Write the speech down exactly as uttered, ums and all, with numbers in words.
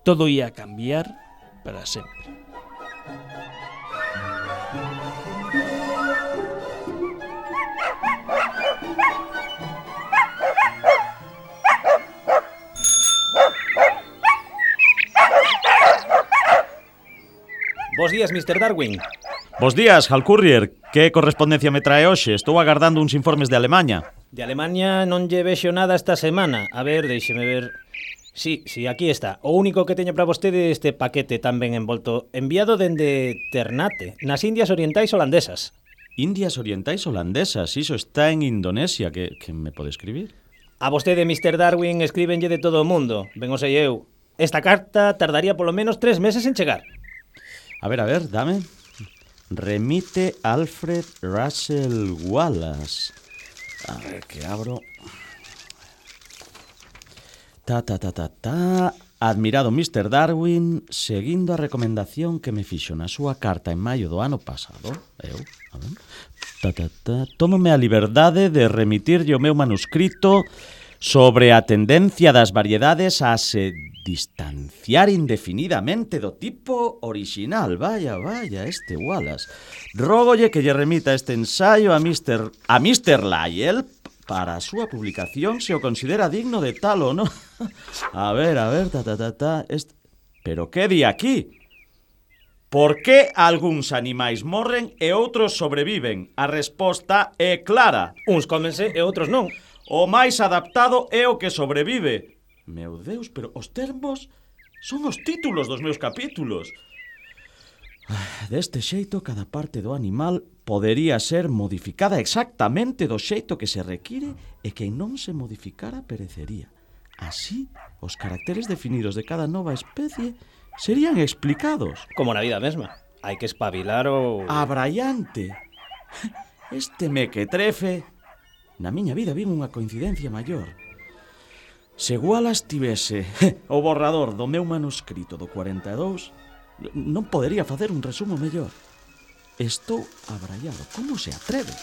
todo ia cambiar para sempre. Bos días, mister Darwin. Bos días, Hal Courier. Que correspondencia me trae hoxe? Estou agardando uns informes de Alemaña. De Alemaña non lle vexo nada esta semana. A ver, deixeme ver. Sí, sí, aquí está. O único que teño para vostede este paquete tan ben envolto, enviado dende Ternate, nas Indias Orientais Holandesas. Indias Orientais Holandesas, iso está en Indonesia. Que, que me pode escribir? A vostede, mister Darwin, escríbenlle de todo o mundo. Ben o sei eu. Esta carta tardaría polo menos tres meses en chegar. A ver, a ver, dame. Remite Alfred Russel Wallace. A ver, que abro. Ta, ta, ta, ta, ta. Admirado mister Darwin, seguindo a recomendación que me fixo na súa carta en maio do ano pasado, eu, a ver, ta, ta, ta, tómome a liberdade de remitirlle o meu manuscrito sobre a tendencia das variedades a se distanciar indefinidamente do tipo original. Vaya, vaya, este Wallace. Rógolle que lle remita este ensaio a mister a mister Lyell para a súa publicación se o considera digno de tal ou non. A ver, a ver, ta, ta, ta, ta. Este... Pero que di aquí? Por que algúns animais morren e outros sobreviven? A resposta é clara. Uns cómense e outros non. O máis adaptado é o que sobrevive. Meu Deus, pero os termos son os títulos dos meus capítulos. Deste xeito, cada parte do animal podería ser modificada exactamente do xeito que se require e que non se modificara perecería. Así, os caracteres definidos de cada nova especie serían explicados. Como na vida mesma. Hai que espabilar o... Abraiante. Este mequetrefe. Na miña vida vin unha coincidencia maior. Se Wallace tivese o borrador do meu manuscrito do cuarenta e dous, non podería facer un resumo mellor. Estou abraiado. Como se atreve?